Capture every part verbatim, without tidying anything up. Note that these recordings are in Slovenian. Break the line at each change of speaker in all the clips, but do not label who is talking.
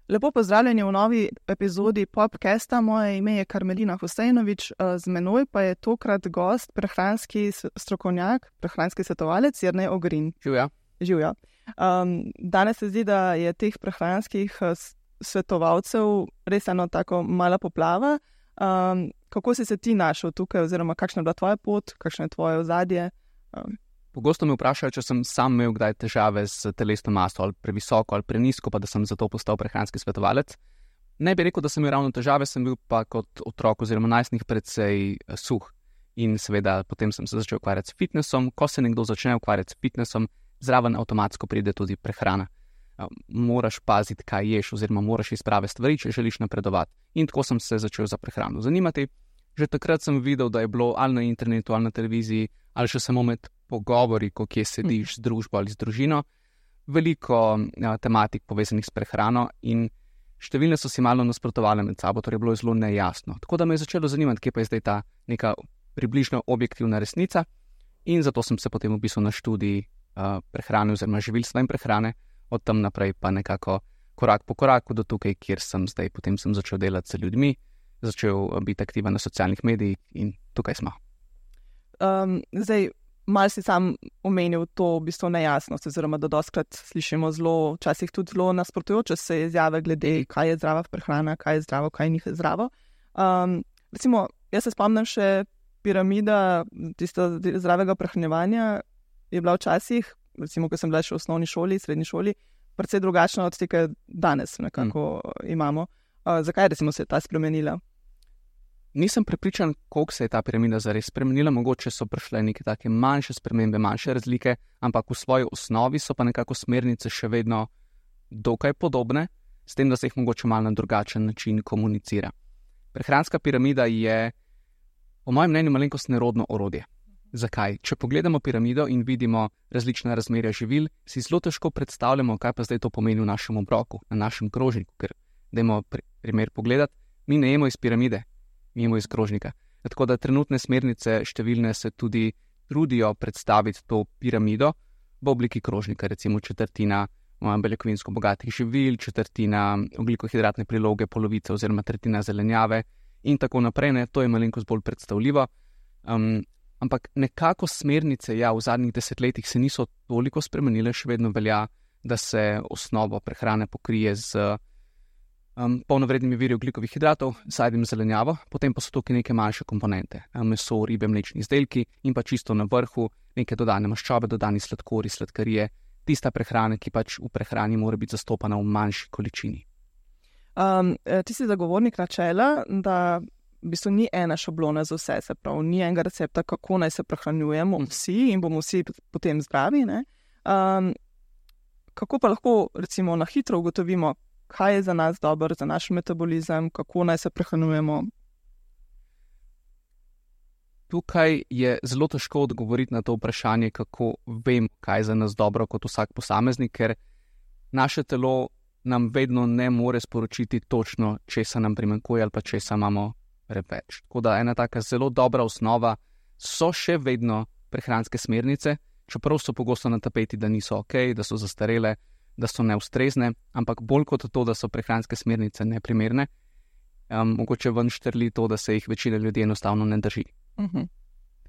Lepo pozdravljeni v novi epizodi Popcasta. Moje ime je Karmelina Husejnović, z menoj pa je tokrat gost, prehranski strokovnjak, prehranski svetovalec Jernej Ogrin.
Živja.
Živja. Um, danes se zdi, da je teh prehranskih svetovalcev res eno tako mala poplava. Um, kako si se ti našel tukaj, oziroma kakšna je bila tvoja pot, kakšno je tvoje ozadje? Um.
Pogosto me vprašajo, če sem sam imel kdaj težave s telesno maso, ali previsoko ali prenizko, pa da sem zato postal prehranski svetovalec. Ne bi rekel, da sem imel ravno težave, sem bil pa kot otrok oziroma najstnik precej suh. In seveda potem sem se začel ukvarjati s fitnessom. Ko se nekdo začne ukvarjati s fitnessom, zraven avtomatsko pride tudi prehrana. Moraš paziti, kaj ješ, oziroma moraš iz prave stvari, če želiš napredovati. In tako sem se začel za prehrano zanimati. Že takrat sem videl, da je bilo ali na internetu, ali na televiziji, ali še samo med pogovori, ko kje sediš z družbo ali z družino, veliko ja, tematik povezanih s prehrano in številne so si malo nasprotovale med sabo, torej je bilo zelo nejasno. Tako da me je začelo zanimati, kje pa je zdaj ta neka približno objektivna resnica in zato sem se potem upisal na študij uh, prehrane oziroma živilstva in prehrane, od tam naprej pa nekako korak po koraku do tukaj, kjer sem zdaj. Potem sem začel delati z ljudmi, začel biti aktiven na socialnih medijih in tukaj smo.
Um, zdaj, malo si sam omenil to v bistvu nejasnost, oziroma da dostkrat slišimo zelo, včasih tudi zelo nasprotujoče se izjave glede, kaj je zdrava prehrana, kaj je zdravo, kaj ni zdravo. Um, recimo, jaz se spomnim še piramida tista zdravega prehranjevanja je bila včasih, recimo, ko sem bila še v osnovni šoli, srednji šoli, precej drugačna od tega danes nekako mm. imamo. Uh, zakaj recimo se je ta spremenila?
Nisem prepričan, koliko se je ta piramida zares spremenila, mogoče so prišle neke take manjše spremembe, manjše razlike, ampak v svoji osnovi so pa nekako smernice še vedno dokaj podobne, s tem, da se jih mogoče malo na drugačen način komunicira. Prehranska piramida je, po mojem mnenju, malenkost nerodno orodje. Zakaj? Če pogledamo piramido in vidimo različna razmerja živil, si zelo težko predstavljamo, kaj pa zdaj to pomeni v našem obroku, na našem krožniku, ker dajmo primer pogledati, mi ne jemo iz piramide, mimo iz krožnika. Tako da trenutne smernice številne se tudi trudijo predstaviti to piramido v obliki krožnika, recimo četrtina beljakovinsko bogatih živil, četrtina ogljikohidratne priloge, polovica oziroma tretjina zelenjave in tako naprej. Ne? To je malenkost bolj predstavljivo. Um, ampak nekako smernice ja, v zadnjih desetletjih se niso toliko spremenile, še vedno velja, da se osnovo prehrane pokrije z Um, polnovrednimi viri ogljikovih hidratov, sadjem zelenjavo, potem pa so tukaj neke manjše komponente, meso, ribe, mlečni izdelki in pa čisto na vrhu neke dodane maščobe, dodani sladkori, sladkarije, tista prehrana, ki pač v prehrani mora biti zastopana v manjši količini.
Um, ti si zagovornik načela, da v bistvu ni ena šablona za vse, se pravi, ni enega recepta, kako naj se prehranjujemo vsi in bomo vsi potem zdravi. Ne? Um, kako pa lahko recimo na hitro ugotovimo, kaj je za nas dobro, za naš metabolizem, kako naj se prehranjujemo?
Tukaj je zelo težko odgovoriti na to vprašanje, kako vem, kaj je za nas dobro kot vsak posameznik, ker naše telo nam vedno ne more sporočiti točno, česa nam primanjkuje ali pa česa imamo preveč. Tako da ena taka zelo dobra osnova so še vedno prehranske smernice, čeprav so pogosto na tapeti, da niso ok, da so zastarele, da so neustrezne, ampak bolj kot to, da so prehranske smernice neprimerne, um, mogoče ven štrli to, da se jih večina ljudi enostavno ne drži.
Uh-huh.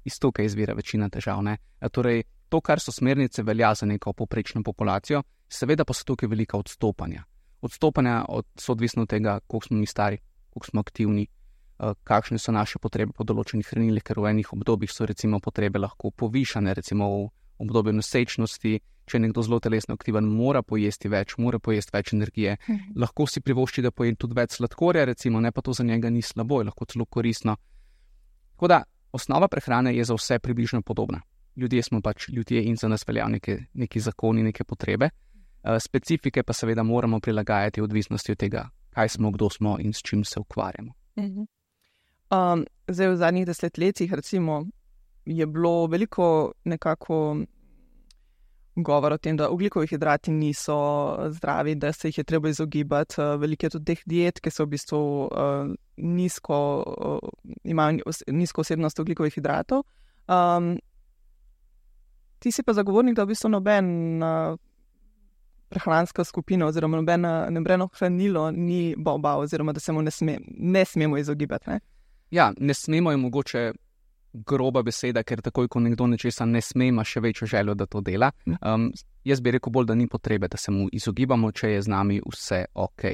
Iz tukaj izvira večina težav. Ne? Torej, to, kar so smernice, velja za neko povprečno populacijo, seveda pa so tukaj velika odstopanja. Odstopanja od, so odvisno od tega, koliko smo mi stari, koliko smo aktivni, uh, kakšne so naše potrebe po določenih hranilih, ker v enih obdobjih so recimo potrebe lahko povišane, recimo v obdobju nosečnosti. Če je nekdo zelo telesno aktiven, mora pojesti več, mora pojesti več energije. Mhm. Lahko si privošči, da poje tudi več sladkorja, recimo, ne pa to za njega ni slabo, je lahko celo koristno. Tako da osnova prehrane je za vse približno podobna. Ljudje smo pač ljudje in za nas veljajo neke, neki zakoni, neke potrebe. Uh, specifike pa seveda moramo prilagajati v odvisnosti od tega, kaj smo, kdo smo in s čim se ukvarjamo.
Mhm. Um, zdaj v zadnjih desetletjih recimo je bilo veliko nekako govor o tem, da ogljikovi hidrati niso zdravi, da se jih je treba izogibati. Veliko je tudi teh diet, ki so v bistvu uh, nizko, uh, imajo nizko vsebnost ogljikovih hidratov. Um, Ti si pa zagovornik, da v bistvu nobena prehranska skupina oziroma nobena, nobeno hranilo ni boba oziroma da se mu ne, sme, ne smemo izogibati. Ne?
Ja, ne smemo je mogoče groba beseda, ker takoj, ko nekdo nečesa ne sme, ima še večjo željo, da to dela. Um, jaz bi rekel bolj, da ni potrebe, da se mu izogibamo, če je z nami vse ok.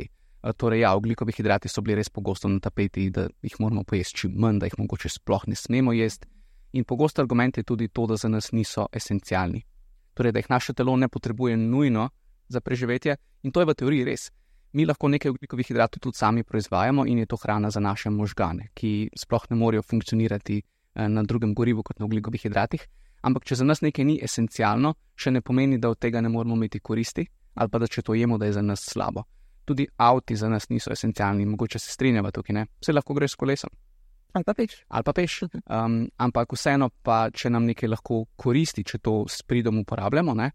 Uh, torej ja, ogljikovi hidrati so bili res pogosto na tapeti, da jih moramo pojesti čim manj, da jih mogoče sploh ne smemo jesti. In pogosto argument je tudi to, da za nas niso esencialni. Torej, da jih naše telo ne potrebuje nujno za preživetje in to je v teoriji res. Mi lahko nekaj ogljikovih hidratov tudi sami proizvajamo in je to hrana za naše možgane, ki sploh ne morejo funkcionirati na drugem gorivu kot na ogljikovih hidratih. Ampak, če za nas nekaj ni esencialno, še ne pomeni, da od tega ne moramo imeti koristi ali pa da če to jemo, da je za nas slabo. Tudi avti za nas niso esencialni, mogoče se strinjava tukaj, ne? Vse lahko greš s kolesom.
Ali pa peš.
Ali pa peš. Um, ampak vseeno pa, če nam nekaj lahko koristi, če to s pridom uporabljamo, ne?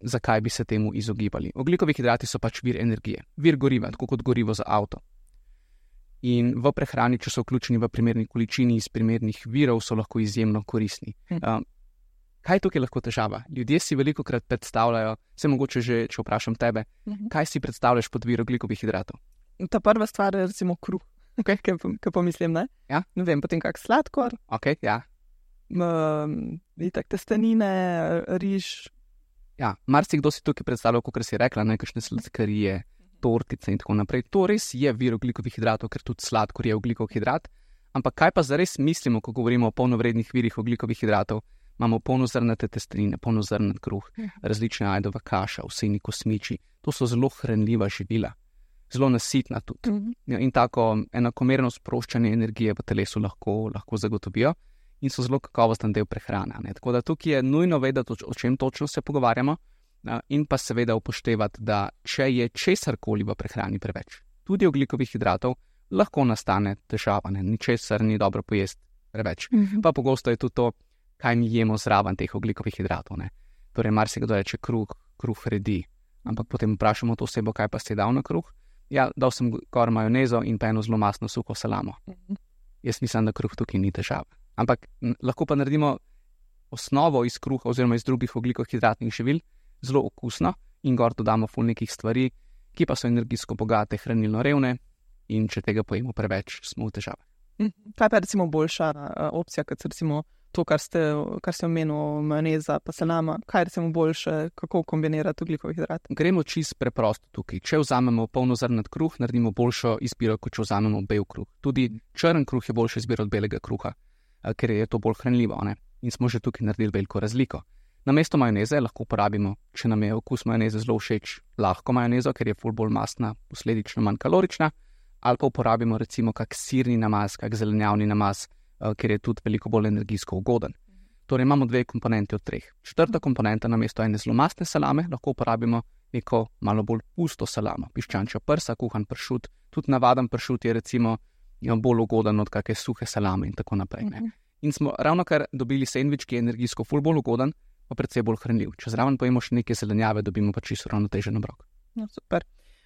Zakaj bi se temu izogibali? Ogljikovi hidrati so pač vir energije, vir goriva, tako kot gorivo za avto. In v prehrani, če so vključeni v primerni količini iz primernih virov, so lahko izjemno koristni. Um, kaj je tukaj lahko težava? Ljudje si velikokrat predstavljajo, vse mogoče že, če vprašam tebe, kaj si predstavljaš pod vir ogljikovih hidratov?
Ta prva stvar je recimo kruh,
okay.
kaj pomislim, ne?
Ja?
Ne vem, potem kak sladkor,
okay, ja.
um, itak testenine, riž.
Ja, marsikdo si tukaj predstavljal, kot si rekla, nekakšne sladkarije, tortice in tako naprej. To res je vir ogljikovih hidratov, ker tudi sladkor je ogljikov hidrat. Ampak kaj pa zares mislimo, ko govorimo o polnovrednih virih ogljikovih hidratov? Imamo polnozrnate testenine, polnozrnat kruh, različne ajdova kaša, vseni kosmiči. To so zelo hranljiva živila, zelo nasitna tudi. Mm-hmm. In tako enakomerno sproščanje energije v telesu lahko, lahko zagotovijo in so zelo kakovosten del prehrane. Ne? Tako da tukaj je nujno vedeti, o čem točno se pogovarjamo. In pa seveda upoštevati, da če je česarkoli v prehrani preveč, tudi ogljikovih hidratov, lahko nastane težava, ne? Ničesar ni dobro pojesti preveč. Mm-hmm. Pa pogosto je tudi to, kaj mi jemo zraven teh ogljikovih hidratov. Ne? Torej, marsikdo reče kruh, kruh redi, ampak potem vprašamo to osebo, kaj pa si dal na kruh. Ja, dal sem kar majonezo in pa eno zelo mastno suho salamo. Mm-hmm. Jaz mislim, da kruh tukaj ni težava. Ampak n- lahko pa naredimo osnovo iz kruha oziroma iz drugih ogljikovih hidratnih živil, zelo okusno in gor dodamo ful nekih stvari, ki pa so energijsko bogate, hranilno revne in če tega pojemo preveč, smo v težavah.
Kaj pa je recimo boljša uh, opcija, kot recimo to, kar ste, kar ste omenil, majoneza pa salama, kaj je recimo boljše, kako kombinirati ogljikovih hidratov?
Gremo čisto preprosto tukaj. Če vzamemo polnozrnat kruh, naredimo boljšo izbiro, kot če vzamemo bel kruh. Tudi črn kruh je boljša izbira od belega kruha, uh, ker je to bolj hranljivo, ne? In smo že tukaj naredili veliko razliko. Namesto majoneze lahko uporabimo, če nam je okus majoneze zelo všeč, lahko majonezo, ker je ful bolj mastna, posledično manj kalorična, ali pa uporabimo recimo kak sirni namaz, kak zelenjavni namaz, uh, ker je tudi veliko bolj energijsko ugoden. Torej imamo dve komponenti od treh. Četrta komponenta namesto ene zelo mastne salame lahko uporabimo neko malo bolj pusto salamo, piščančja prsa, kuhan pršut, tudi navaden pršut je recimo bolj ugoden od kakšne suhe salame in tako naprej. Ne? In smo ravno kar dobili sendvič, ki je energijsko ful bolj ugoden, pa predvsej bolj hranljiv. Če zraven pojemo še neke zelenjave, dobimo pa čisto ravnotežen obrok.
No, super.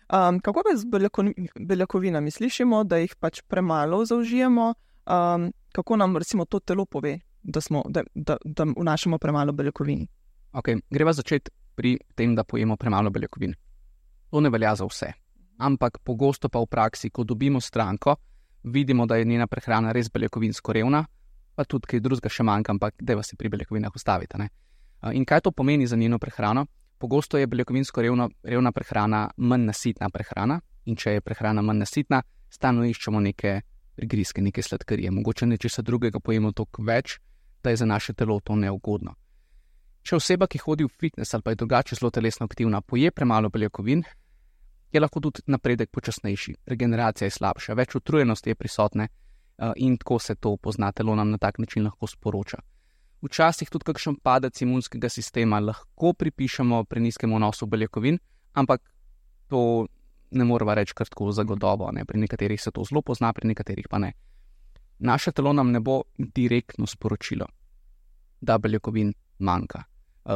Um, kako pa z beljakovinami? Slišimo, da jih pač premalo zaužijemo. Um, kako nam recimo to telo pove, da, smo, da, da, da vnašamo premalo beljakovin?
Okay, greva začeti pri tem, da pojemo premalo beljakovin. To ne velja za vse. Ampak pogosto pa v praksi, ko dobimo stranko, vidimo, da je njena prehrana res beljakovinsko revna, pa tudi kaj drugega še manjka, ampak dajva se pri beljakovinah ustaviti, ne? In kaj to pomeni za njeno prehrano? Pogosto je beljakovinsko revna, revna prehrana manj nasitna prehrana in če je prehrana manj nasitna, stalno iščemo neke prigrizke, neke sladkarije. Mogoče nečesa drugega pojemo toliko več, da je za naše telo to neugodno. Če oseba, ki hodi v fitness ali pa je drugače zelo telesno aktivna, poje premalo beljakovin, je lahko tudi napredek počasnejši, regeneracija je slabša, več utrujenosti je prisotne in tako se to pozna, telo nam na tak način lahko sporoča. Včasih tudi kakšen padec imunskega sistema lahko pripišemo prenizkemu vnosu beljakovin, ampak to ne moramo reči kar tako zagotovo, ne? Pri nekaterih se to zelo pozna, pri nekaterih pa ne. Naše telo nam ne bo direktno sporočilo, da beljakovin manjka.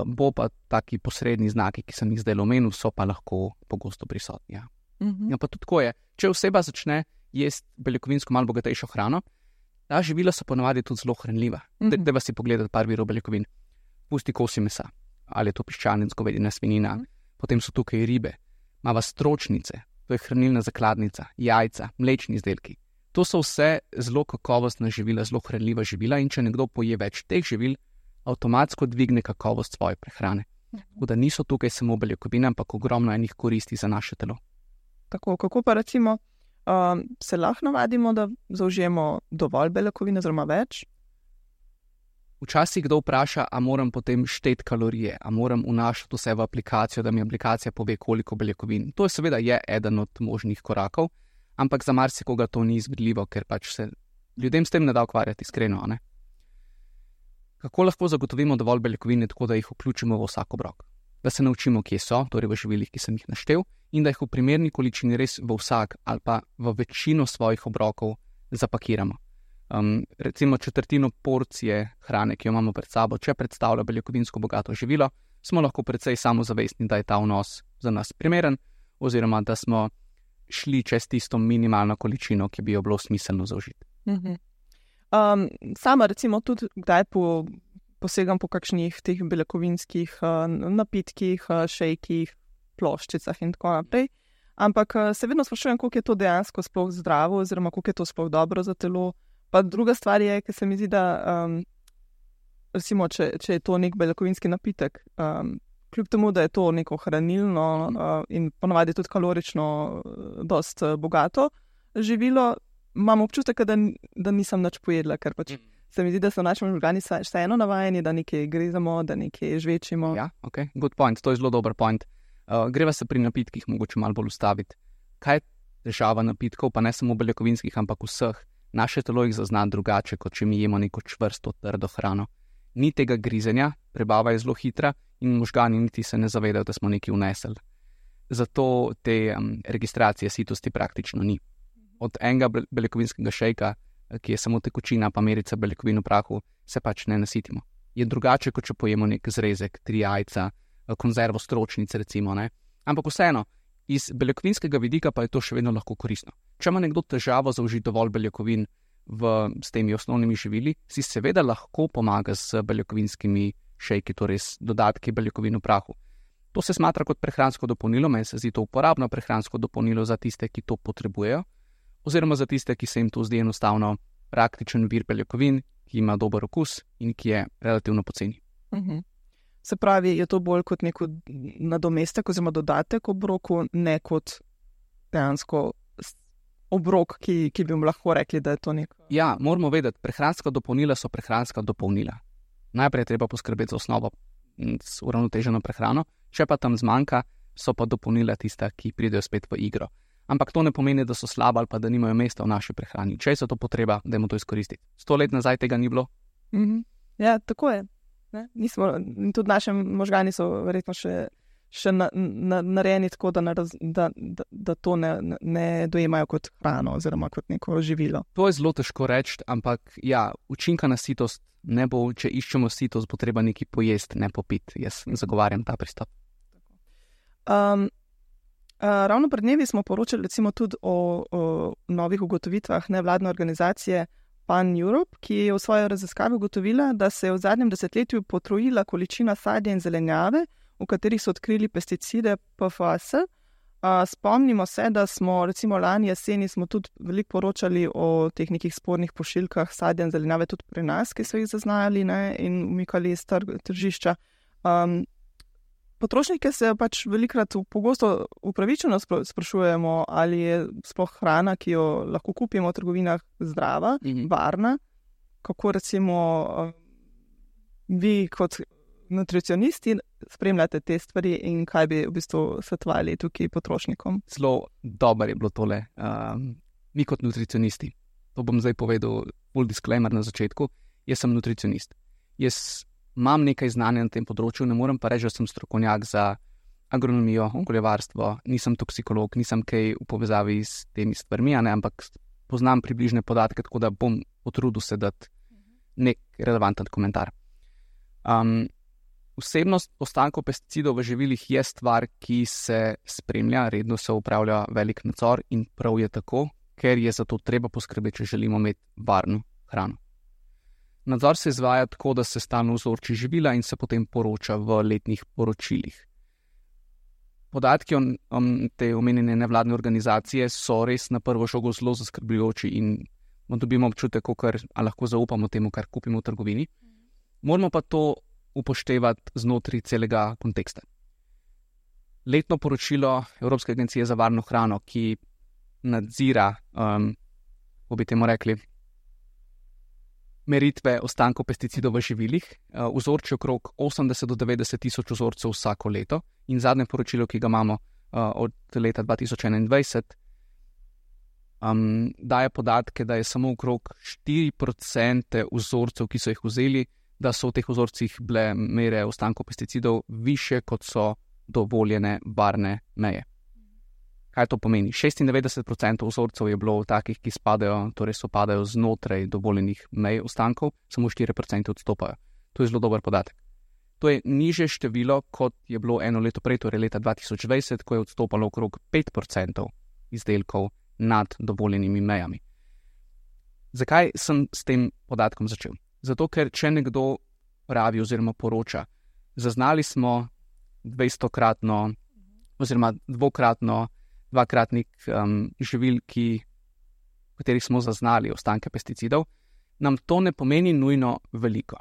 Bo pa taki posredni znaki, ki sem jih zdaj omenil, so pa lahko pogosto prisotni. Ja. Mm-hmm. Ja, pa tudi tako je. Če oseba začne jesti beljakovinsko malo bogatejšo hrano, ta živila so ponavadi tudi zelo hranljiva. Mm-hmm. Dajva si pogledati par virov beljakovin. pusti kosi mesa, ali je to piščanec, govedina, svinjina, mm. potem so tukaj ribe, imava stročnice, to je hranilna zakladnica, jajca, mlečni izdelki. To so vse zelo kakovostna živila, zelo hranljiva živila in če nekdo poje več teh živil, avtomatsko dvigne kakovost svoje prehrane. Tako da niso tukaj samo beljakovine, ampak ogromno enih koristi za naše telo.
Tako, kako pa recimo um, se lahko navadimo, da zaužijemo dovolj beljakovine, oziroma več?
Včasih kdo vpraša, a moram potem šteti kalorije, a moram vnašati vse v aplikacijo, da mi aplikacija pove, koliko beljakovin. To je seveda je eden od možnih korakov, ampak za marsikoga to ni izvedljivo, ker pač se ljudem s tem ne da ukvarjati iskreno, ne? Kako lahko zagotovimo dovolj beljakovine, tako da jih vključimo v vsak obrok? Da se naučimo, kje so, torej v živilih, ki sem jih naštel, in da jih v primerni količini res v vsak ali pa v večino svojih obrokov zapakiramo. Um, recimo četrtino porcije hrane, ki jo imamo pred sabo, če predstavlja beljakovinsko bogato živilo, smo lahko precej samozavestni, da je ta vnos za nas primeren, oziroma da smo šli čez tisto minimalno količino, ki bi jo bilo smiselno zaužiti.
Mhm. Um, sama recimo tudi kdaj po, posegam po kakšnih teh beljakovinskih uh, napitkih, uh, šejkih, ploščicah in tako naprej. Ampak uh, se vedno sprašujem, koliko je to dejansko sploh zdravo oziroma koliko je to sploh dobro za telo. Pa druga stvar je, ker se mi zdi, da um, recimo, če, če je to nek beljakovinski napitek, um, kljub temu, da je to neko hranilno uh, in ponavadi tudi kalorično uh, dost uh, bogato živilo, imam občutek, da, da nisem nič pojedla, ker pač mm. se mi zdi, da so naši možgani vseeno navajeni, da nekaj grezamo, da nekaj žvečimo.
Ja, ok, good point, to je zelo dober point. Uh, greva se pri napitkih mogoče malo bolj ustaviti. Kaj je težava napitkov, pa ne samo beljakovinskih, ampak vseh? Naše telo jih zazna drugače, kot če mi jemo neko čvrsto, trdo hrano. Ni tega grizenja, prebava je zelo hitra in možgani niti se ne zavedajo, da smo nekaj vnesli. Zato te um, registracije sitosti praktično ni. Od enega beljakovinskega šejka, ki je samo tekočina pa merica beljakovin v prahu, se pač ne nasitimo. Je drugače, kot če pojemo nek zrezek, tri jajca, konzervo stročnic recimo, ne? Ampak vseeno, iz beljakovinskega vidika pa je to še vedno lahko koristno. Če ima nekdo težavo zaužiti dovolj beljakovin v, s temi osnovnimi živili, si seveda lahko pomaga z beljakovinskimi šejki, torej s dodatki beljakovin v prahu. To se smatra kot prehransko dopolnilo, meni se zdi to uporabno prehransko dopolnilo za tiste, ki to potrebujejo, oziroma za tiste, ki se jim to zdi enostavno praktičen vir beljakovin, ki ima dober okus in ki je relativno poceni.
Uh-huh. Se pravi, je to bolj kot neko nadomestek oziroma dodatek obroku, ne kot dejansko obrok, ki, ki bi mu lahko rekli, da je to nek...
Ja, moramo vedeti, prehranska dopolnila so prehranska dopolnila. Najprej je treba poskrbeti za osnovo s uravnoteženo prehrano, če pa tam zmanjka, so pa dopolnila tista, ki pridejo spet v igro. Ampak to ne pomeni, da so slaba ali pa da nimajo mesta v naši prehrani. Če je to potreba, dajmo to izkoristiti. Sto let nazaj tega ni bilo.
Mm-hmm. Ja, tako je. Ne? Nismo, tudi naši možgani so verjetno še, še na, na, narejeni tako, da, naraz, da, da, da to ne, ne dojemajo kot hrano oziroma kot neko živilo.
To je zelo težko reči, ampak ja, učinka na sitost ne bo, če iščemo sitost, bo treba nekaj pojesti, ne popiti. Jaz zagovarjam ta pristop.
Um, Uh, ravno pred dnevi smo poročali recimo tudi o, o novih ugotovitvah nevladne organizacije Pan Europe, ki je v svoji raziskavi ugotovila, da se je v zadnjem desetletju potrojila količina sadja in zelenjave, v katerih so odkrili pesticide P F A S. Uh, spomnimo se, da smo recimo lani jeseni smo tudi veliko poročali o teh nekih spornih pošiljkah sadja in zelenjave tudi pri nas, ki so jih zaznali, ne, in umikali iz tržišča. Um, Potrošnike se pač velikrat pogosto upravičeno sprašujemo, ali je sploh hrana, ki jo lahko kupimo v trgovinah, zdrava, mm-hmm. varna. Kako recimo vi kot nutricionisti spremljate te stvari in kaj bi v bistvu svetovali tukaj potrošnikom?
Zelo dobro je bilo tole. Um, mi kot nutricionisti, to bom zdaj povedal, full disclaimer na začetku, jaz sem nutricionist. Jaz imam nekaj znanja na tem področju, ne morem pa reči, da sem strokovnjak za agronomijo, okoljevarstvo, nisem toksikolog, nisem kaj v povezavi s temi stvarmi, ne, ampak poznam približne podatke, tako da bom potrudil se dati nek relevanten komentar. Um, vsebnost ostankov pesticidov v živilih je stvar, ki se spremlja, redno se upravlja velik nadzor in prav je tako, ker je za to treba poskrbeti, če želimo imeti varno hrano. Nadzor se izvaja tako, da se stalno vzorči živila in se potem poroča v letnih poročilih. Podatki o te omenjene nevladne organizacije so res na prvo žogo zelo zaskrbljujoči in dobimo občutek, kar lahko zaupamo temu, kar kupimo v trgovini. Moramo pa to upoštevati znotraj celega konteksta. Letno poročilo Evropske agencije za varno hrano, ki nadzira, um, kako bi temu rekli, meritve ostankov pesticidov v živilih, uh, vzorči okrog osemdeset do devetdeset tisoč vzorcev vsako leto in zadnje poročilo, ki ga imamo uh, od leta dva tisoč enaindvajset, um, daje podatke, da je samo okrog štiri procente vzorcev, ki so jih vzeli, da so v teh vzorcih bile mere ostankov pesticidov više, kot so dovoljene varne meje. Kaj to pomeni? šestindevetdeset procentov vzorcev je bilo takih, ki spadajo, torej sopadajo znotraj dovoljenih mej ostankov, samo štiri procente odstopajo. To je zelo dober podatek. To je nižje število, kot je bilo eno leto prej, torej leta dva tisoč dvajset, ko je odstopalo okrog pet procentov izdelkov nad dovoljenimi mejami. Zakaj sem s tem podatkom začel? Zato, ker če nekdo pravi oziroma poroča, zaznali smo dvajsetokratno oziroma dvokratno, dvakratnik um, živil, ki, v katerih smo zaznali ostanke pesticidov, nam to ne pomeni nujno veliko.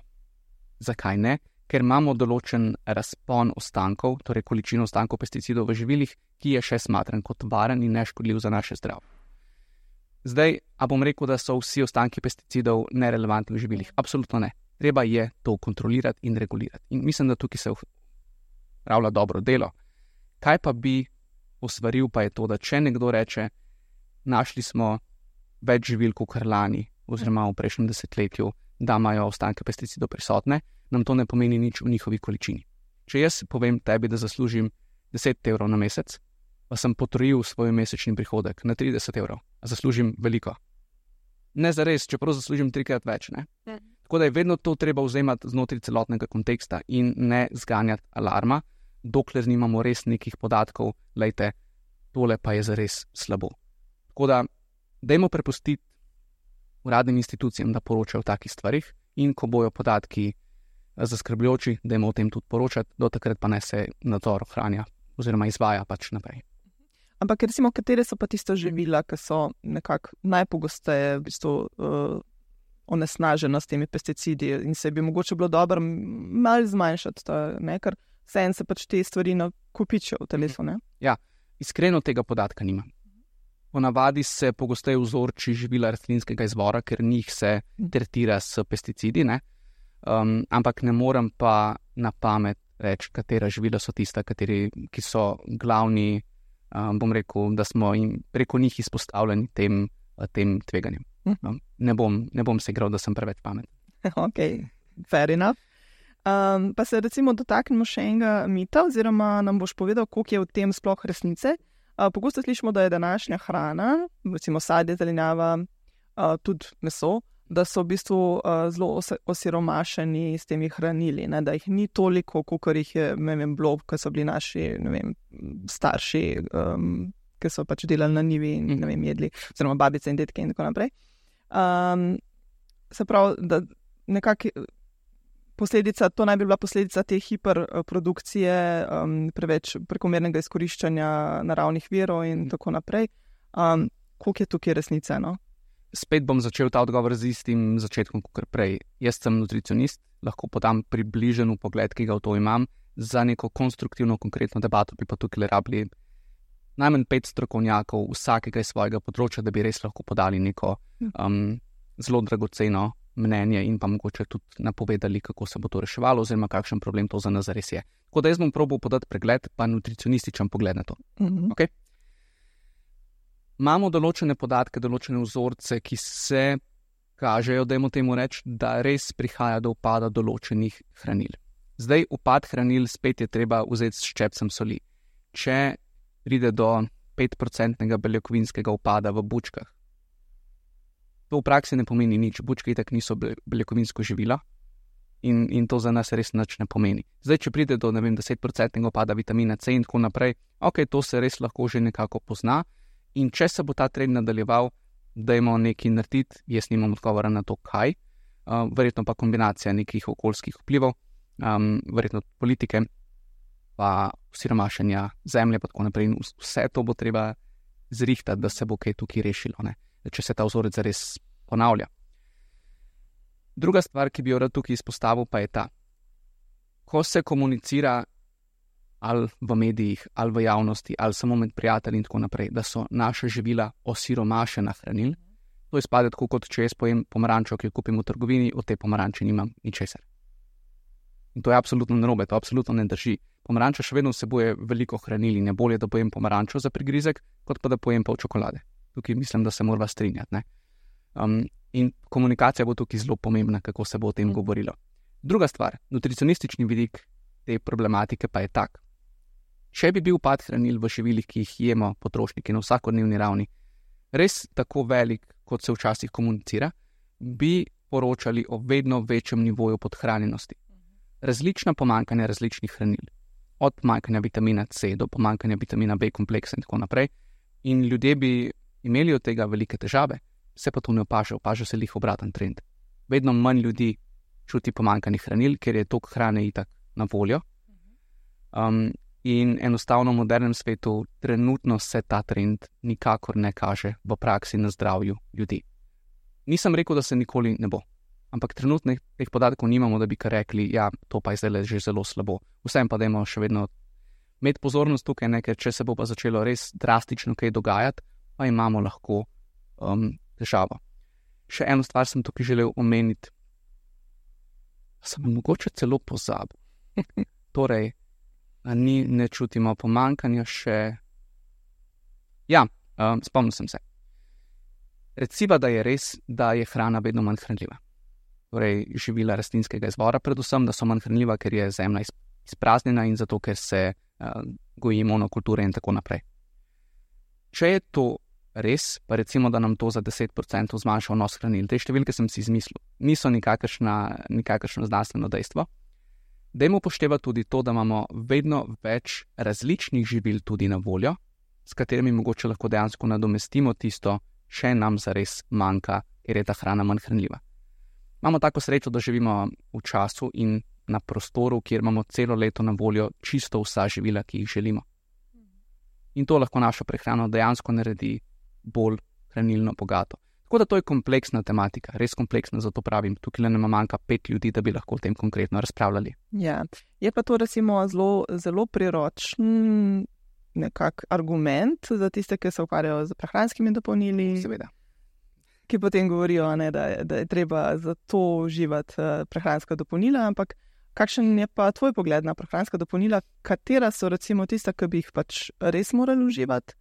Zakaj ne? Ker imamo določen razpon ostankov, torej količino ostankov pesticidov v živilih, ki je še smatran kot varen in neškodljiv za naše zdravje. Zdaj, a bom rekel, da so vsi ostanki pesticidov nerelevantni v živilih? Absolutno ne. Treba je to kontrolirati in regulirati. In mislim, da tukaj se upravlja dobro delo. Kaj pa bi osvaril, pa je to, da če nekdo reče, našli smo več živil kot lani oziroma v prejšnjem desetletju, da imajo ostanke pesticidov prisotne, nam to ne pomeni nič v njihovi količini. Če jaz povem tebi, da zaslužim deset evrov na mesec, pa sem potrojil svoj mesečni prihodek na trideset evrov, a zaslužim veliko. Ne zares, čeprav zaslužim trikrat več, ne? Ne. Tako da je vedno to treba vzemati znotraj celotnega konteksta in ne zganjati alarma, dokler nimamo res nekih podatkov, lejte, tole pa je zares slabo. Tako da, dajmo prepustiti uradnim institucijam, da poročajo o takih stvarih in ko bojo podatki zaskrbljujoči, dajmo o tem tudi poročati, do takrat pa ne se nadzor ohranja oziroma izvaja pač naprej.
Ampak recimo, katere so pa tiste živila, ki so nekako najpogosteje v bistvu uh, onesnažena s temi pesticidi in se bi mogoče bilo dobro malo zmanjšati, to, ne, ker vseeno se pač te stvari nakopičijo v telesu, ne?
Ja, iskreno tega podatka nimam. Ponavadi se pogosteje vzorči živila rastlinskega izvora, ker njih se tretira s pesticidi, ne? Um, ampak ne morem pa na pamet reči, katera živila so tista, kateri, ki so glavni, um, bom rekel, da smo jim preko njih izpostavljeni tem, tem tveganjem. Um, ne bom, ne bom se igral, da sem preveč pameten.
Ok, fair enough. Um, pa se recimo dotaknemo še enega mita, oziroma nam boš povedal, koliko je v tem sploh resnice. Uh, pogosto slišimo, da je današnja hrana, recimo sadje, zelenjava, uh, tudi meso, da so v bistvu uh, zelo os osiromašeni s temi hranili, ne? Da jih ni toliko, kolikor jih je, ne vem, bilo, ko so bili naši, ne vem, starši, um, ki so pač delali na njivi in ne vem, jedli, oziroma babice in detke in tako naprej. Um, se pravi, da nekako posledica, to naj bi bila posledica te hiperprodukcije, um, preveč prekomernega izkoriščanja naravnih virov in tako naprej. Um, koliko je tukaj resnice, no?
Spet bom začel ta odgovor z istim začetkom, kot prej. Jaz sem nutricionist, lahko podam približen pogled, ki ga v to imam. Za neko konstruktivno, konkretno debato bi pa tukaj rabili najmanj pet strokovnjakov vsakega iz svojega področja, da bi res lahko podali neko um, zelo dragoceno mnenje in pa mogoče tudi napovedali, kako se bo to reševalo oziroma kakšen problem to za nas res je. Tako da jaz bom probal podati pregled, pa nutricionističen pogled na to.
Mm-hmm.
Okay? Imamo določene podatke, določene vzorce, ki se kažejo, dajmo temu reči, da res prihaja do upada določenih hranil. Zdaj, upad hranil spet je treba vzeti s ščepcem soli. Če pride do petprocentnega beljakovinskega upada v bučkah, to v praksi ne pomeni nič. Bučke itak niso beljakovinsko živilo in, in to za nas res nič ne pomeni. Zdaj, če pride do, ne vem, desetprocentnega upada vitamina C in tako naprej, ok, to se res lahko že nekako pozna. In če se bo ta trend nadaljeval, dajmo nekaj narediti, jaz nimam odgovora na to, kaj. uh, verjetno pa kombinacija nekih okoljskih vplivov, um, verjetno politike, pa siromašenja zemlje, pa tako naprej. In vse to bo treba zrihtati, da se bo kaj tukaj rešilo, ne? Če se ta vzorec zares ponavlja. Druga stvar, ki bi jo rad tukaj izpostavil, pa je ta. Ko se komunicira ali v medijih, ali v javnosti, ali samo med prijatelji in tako naprej, da so naša živila osiromašena hranil, to izpade tako, kot če jaz pojem pomarančo, ki jo kupim v trgovini, od te pomaranče nimam ničesar. In to je absolutno narobe, to absolutno ne drži. Pomaranča še vedno vsebuje veliko hranil in je bolje, da pojem pomarančo za prigrizek, kot pa da pojem pol čokolade. Tukaj mislim, da se morava strinjati, ne? Um, in komunikacija bo tukaj zelo pomembna, kako se bo o tem govorilo. Druga stvar, nutricionistični vidik te problematike pa je tak. Če bi bil upad hranil v živilih, ki jih jemo potrošniki na vsakodnevni ravni, res tako velik, kot se včasih komunicira, bi poročali o vedno večjem nivoju podhranjenosti. Različna pomanjkanja različnih hranil, od pomanjkanja vitamina C do pomanjkanja vitamina B kompleksa in tako naprej. In ljudje bi imeli od tega velike težave, se pa to ne opaža, opaža se lih obraten trend. Vedno manj ljudi čuti pomanjkanje hranil, ker je toliko hrane itak na voljo. Um, in enostavno v modernem svetu trenutno se ta trend nikakor ne kaže v praksi na zdravju ljudi. Nisem rekel, da se nikoli ne bo, ampak trenutno teh podatkov nimamo, da bi kar rekli, ja, to pa je zdaj že zelo slabo. Vsem pa dajmo še vedno imeti pozornost tukaj, ne, ker če se bo pa začelo res drastično kaj dogajati, pa imamo lahko um, težavo. Še eno stvar sem tukaj želel omeniti. Sem mogoče celo pozabil. Torej, ni, ne čutimo pomanjkanja še... Ja, um, spomnil sem se. Reciva, da je res, da je hrana vedno manj hranljiva. Torej, živila rastlinskega izvora, predvsem, da so manj hranljiva, ker je zemlja izpraznjena in zato, ker se uh, goji monokulture in tako naprej. Če je to res, pa recimo, da nam to za deset procentov zmanjša vnos hranil, te številke sem si izmislil, niso nikakršna, nikakršno znanstveno dejstvo. Dajmo upoštevati tudi to, da imamo vedno več različnih živil tudi na voljo, s katerimi mogoče lahko dejansko nadomestimo tisto, če nam zares manjka, ker je ta hrana manj hranljiva. Imamo tako srečo, da živimo v času in na prostoru, kjer imamo celo leto na voljo čisto vsa živila, ki jih želimo. In to lahko našo prehrano dejansko naredi bolj hranilno bogato. Tako da to je kompleksna tematika, res kompleksna, zato pravim, tukaj le nama manjka pet ljudi, da bi lahko o tem konkretno razpravljali.
Ja, je pa to recimo zelo, zelo priročen nekak argument za tiste, ki se ukvarjajo z prehranskimi dopolnili.
Seveda.
Ki potem govorijo, ne, da, je, da je treba za to uživati uh, prehranska dopolnila, ampak kakšen je pa tvoj pogled na prehranska dopolnila, katera so recimo tista, ki bi jih pač res morali uživati?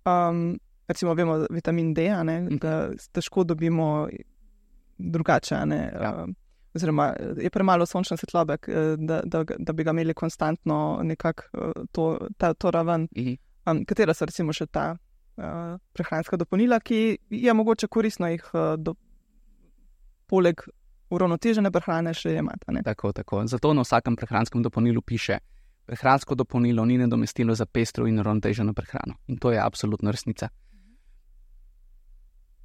Um, recimo vemo vitamin D, ne, da težko dobimo drugače, ne,
ja.
um, oziroma je premalo sončne svetlobe, da, da, da bi ga imeli konstantno nekako to, ta, to raven. Um, katera so recimo še ta uh, prehranska dopolnila, ki je mogoče koristno jih uh, do, poleg uravnotežene prehrane še imati, ne?
Tako, tako. Zato na vsakem prehranskem dopolnilu piše, prehransko dopolnilo ni nadomestilo za pestro in uravnoteženo prehrano. In to je absolutno resnica.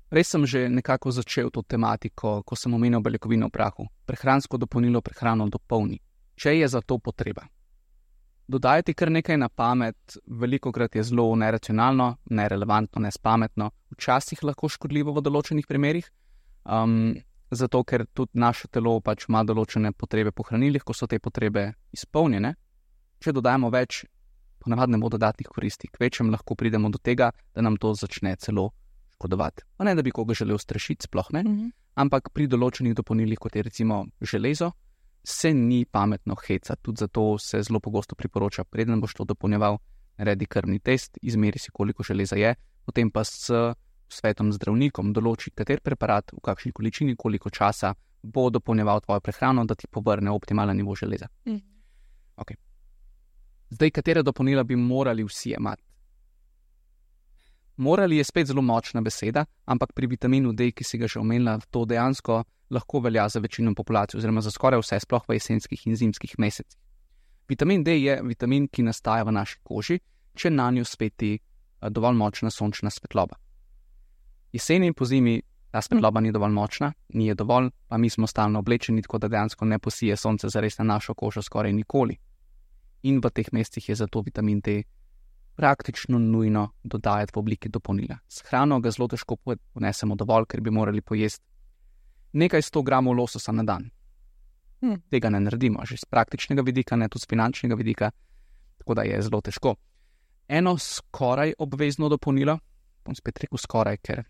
Res sem že nekako začel to tematiko, ko sem omenil beljakovino v prahu. Prehransko dopolnilo prehrano dopolni, če je za to potreba. Dodajati kar nekaj na pamet, velikokrat je zelo neracionalno, nerelevantno, nespametno, včasih lahko škodljivo v določenih primerih, um, zato ker tudi naše telo pač ima določene potrebe po hranilih, ko so te potrebe izpolnjene. Če dodajamo več, ponavadi ne bo dodatnih koristi, k večjem lahko pridemo do tega, da nam to začne celo škodovati. Pa ne, da bi koga želel strašiti, sploh ne, mm-hmm. ampak pri določenih dopolnilih, kot je recimo železo, se ni pametno hecati. Tudi zato se zelo pogosto priporoča, preden boš to dopolnjeval, naredi krvni test, izmeri si, koliko železa je, potem pa s svetom zdravnikom določi, kater preparat, v kakšni količini, koliko časa bo dopolnjeval tvojo prehrano, da ti povrne optimalen nivo železa. Mm. Okay. Zdaj, katere dopolnila bi morali vsi imati? Morali je spet zelo močna beseda, ampak pri vitaminu D, ki si ga že omenila, to dejansko lahko velja za večino populacije, oziroma za skoraj vse, sploh v jesenskih in zimskih mesecih. Vitamin D je vitamin, ki nastaja v naši koži, če nanjo sveti dovolj močna sončna svetloba. Jeseni in pozimi Ta svetloba ni dovolj močna, ni je dovolj, pa mi smo stalno oblečeni, tako da dejansko ne posije sonce zares na našo kožo skoraj nikoli. In v teh mestih je zato vitamin D praktično nujno dodajati v obliki dopolnila. S hrano ga zelo težko ponesemo dovolj, ker bi morali pojesti nekaj sto gramov lososa na dan. Hmm. Tega ne naredimo, že z praktičnega vidika, ne tudi z finančnega vidika, tako da je zelo težko. Eno skoraj obvezno dopolnilo, bom spet rekel skoraj, ker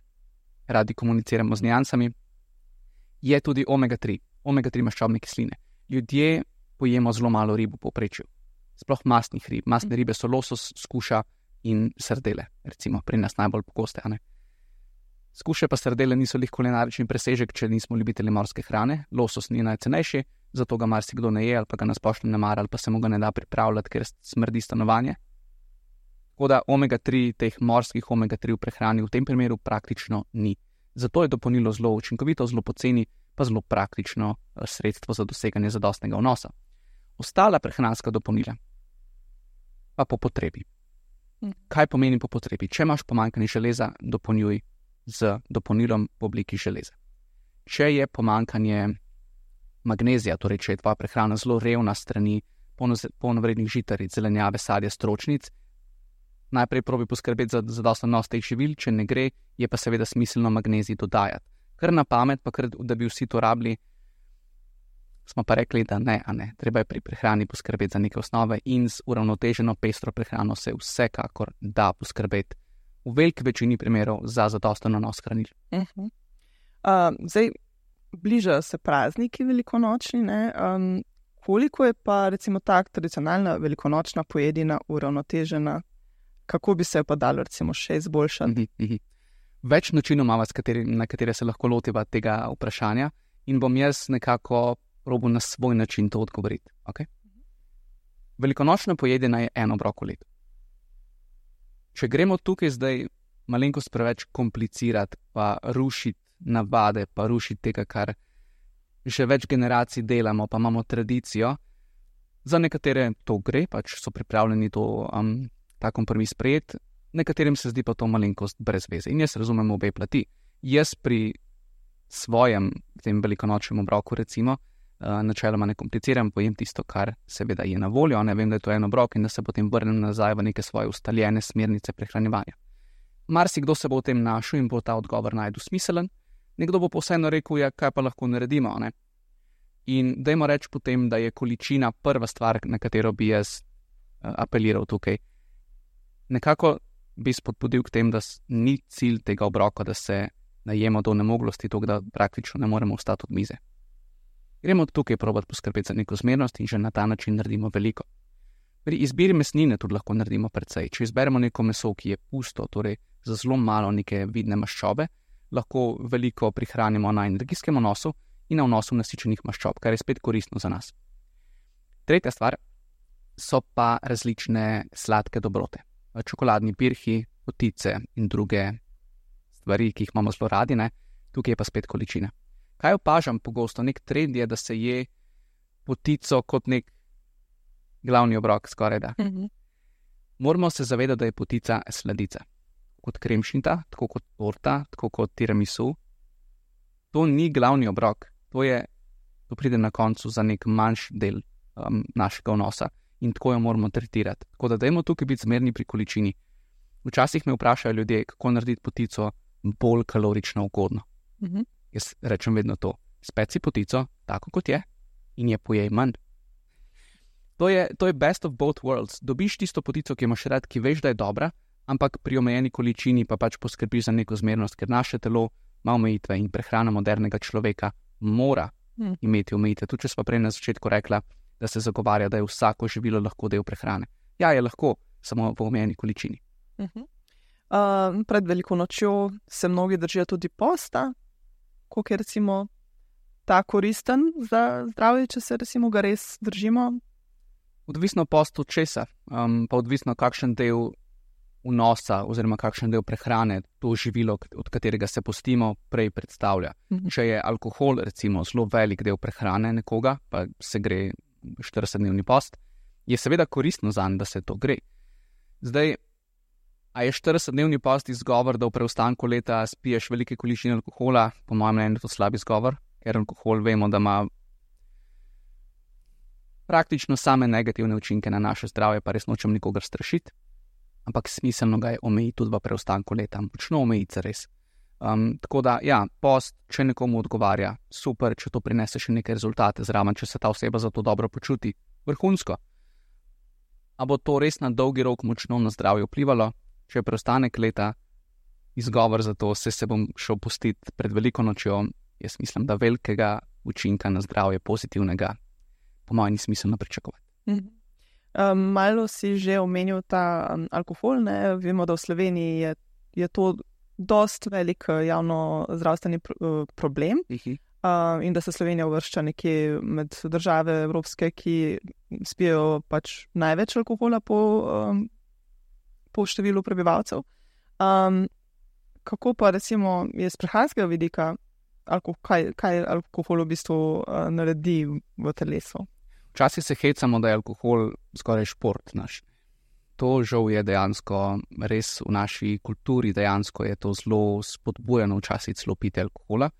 radi komuniciramo z nijansami, je tudi omega tri, omega tri maščobne kisline. Ljudje pojemo zelo malo rib v povprečju, sploh mastnih rib. Mastne ribe so losos, skuša in sardele, recimo pri nas najbolj pogoste, a ne? Skuše pa sardele niso lih kulinarični presežek, če nismo ljubitelji morske hrane. Losos ni najcenejši, zato ga marsikdo ne je, ali pa ga na splošno ne mara, ali pa se mu ga ne da pripravljati, ker smrdi stanovanje. Tako da omega tri, teh morskih omega tri v prehrani v tem primeru praktično ni. Zato je dopolnilo zelo učinkovito, zelo poceni, pa zelo praktično sredstvo za doseganje zadostnega vnosa. Ostala prehranska dopolnila pa po potrebi. Kaj pomeni po potrebi? Če imaš pomanjkanje železa, dopolnjuj z dopolnilom v obliki železa. Če je pomanjkanje magnezija, torej če je tvoja prehrana zelo revna strani polnovrednih žitaric, zelenjave, sadja, stročnic, najprej probi poskrbeti za zadosten vnos teh živil, če ne gre, je pa seveda smiselno magnezij dodajati. Kar na pamet, pa kar, da bi vsi to rabili, smo pa rekli, da ne, a ne. Treba je pri prehrani poskrbeti za neke osnove in z uravnoteženo pestro prehrano se vsekakor da poskrbeti v veliki večini primerov za zadosten vnos hranil.
Uh-huh. Uh, zdaj, bližajo se prazniki velikonočni, ne? Um, koliko je pa recimo tak tradicionalna velikonočna pojedina uravnotežena? Kako bi se jo pa dalo recimo še izboljšati?
Uh-huh. Več načinov imamo, na katere se lahko lotiva tega vprašanja in bom jaz nekako probal na svoj način to odgovoriti. Okay? Velikonočna pojedina je en obrok v letu. Če gremo tukaj zdaj malenkost preveč komplicirati, pa rušiti navade, pa rušiti tega, kar že več generacij delamo, pa imamo tradicijo, za nekatere to gre, pač so pripravljeni to, um, ta kompromis sprejeti, nekaterim se zdi pa to malenkost brez veze. In jaz razumem obe plati. Jaz pri svojem tem velikonočnem obroku recimo, uh, načeloma ne kompliciram, pojem tisto, kar seveda je na voljo, ne vem, da je to en obrok in da se potem vrnem nazaj v neke svoje ustaljene smernice prehranjevanja. Marsikdo se bo v tem našel in bo ta odgovor najdu smiselen, nekdo bo pa vseeno rekel, ja, kaj pa lahko naredimo, ne? In dajmo reči potem, da je količina prva stvar, na katero bi jaz uh, apeliral tukaj. Nekako bi spodbudil k tem, da ni cilj tega obroka, da se najemo do nemoglosti, tako da praktično ne moremo vstati od mize. Gremo tukaj probati poskrbeti za neko zmernost in že na ta način naredimo veliko. Pri izbiri mesnine tudi lahko naredimo precej. Če izberemo neko meso, ki je pusto, torej za zelo malo neke vidne maščobe, lahko veliko prihranimo na energijskem vnosu in na vnosu nasičenih maščob, kar je spet koristno za nas. Tretja stvar so pa različne sladke dobrote. Čokoladni pirhi, potice in druge stvari, ki jih imamo zelo radi, ne? Tukaj je pa spet količina. Kaj opažam pogosto? Nek trend je, da se je potico kot nek glavni obrok skoraj da. Mm-hmm. Moramo se zavedati, da je potica sladica. Kot kremšnita, tako kot torta, tako kot tiramisu. To ni glavni obrok. To je, to pride na koncu za nek manjši del um, našega vnosa in tako jo moramo tretirati. Tako da dajmo tukaj biti zmerni pri količini. Včasih me vprašajo ljudje, kako narediti potico bolj kalorično ugodno. Mm-hmm. Jaz rečem vedno to. Speci potico, tako kot je, in je pojej manj. To je, to je best of both worlds. Dobiš tisto potico, ki imaš rad, ki veš, da je dobra, ampak pri omejeni količini pa pač poskrbiš za neko zmernost, ker naše telo ima omejitve in prehrana modernega človeka mora mm. imeti omejitve. Tudi če smo prej na začetku rekla, da se zagovarja, da je vsako živilo lahko del prehrane. Ja, je lahko, samo v omejeni količini.
Uh-huh. Uh, pred veliko nočjo se mnogi držijo tudi posta, koliko je recimo ta koristen za zdravje, če se recimo ga res držimo?
Odvisno post od česa, um, pa odvisno kakšen del vnosa oziroma kakšen del prehrane to živilo, od katerega se postimo, prej predstavlja. Mm-hmm. Če je alkohol recimo zelo velik del prehrane nekoga, pa se gre štiridesetdnevni post, je seveda koristno zanj, da se to gre. Zdaj, A je štiridesetdnevni post izgovor, da v preostanku leta spiješ velike količine alkohola? Po mojem mnenju je to slab izgovor, ker alkohol vemo, da ima praktično same negativne učinke na naše zdravje, pa res nočem nikogar strašiti, ampak smiselno ga je omejiti tudi v preostanku leta, močno omejiti res. Um, tako da, ja, post, če nekomu odgovarja, super, če to prinese še neke rezultate zraven, če se ta oseba za to dobro počuti, vrhunsko. A bo to res na dolgi rok močno na zdravje vplivalo? Če je preostanek leta izgovor za to, se se bom šel pustiti pred veliko nočjo, jaz mislim, da velikega učinka na zdravje pozitivnega po mojem ni smiselno pričakovati.
Mhm. Um, malo si že omenil ta um, alkohol, ne? Vemo, da v Sloveniji je, je to dost velik javno zdravstveni pr uh, problem uh, in da se Slovenija uvršča nekje med države evropske, ki spijo pač največ alkohola po, um, po številu prebivalcev. Um, kako pa recimo je z prehranskega vidika, alko kaj, kaj alkohol v bistvu uh, naredi v telesu?
Včasih se hecamo, da je alkohol skoraj šport naš. To žal je dejansko res v naši kulturi, dejansko je to zelo spodbujeno včasih celo piti alkohola,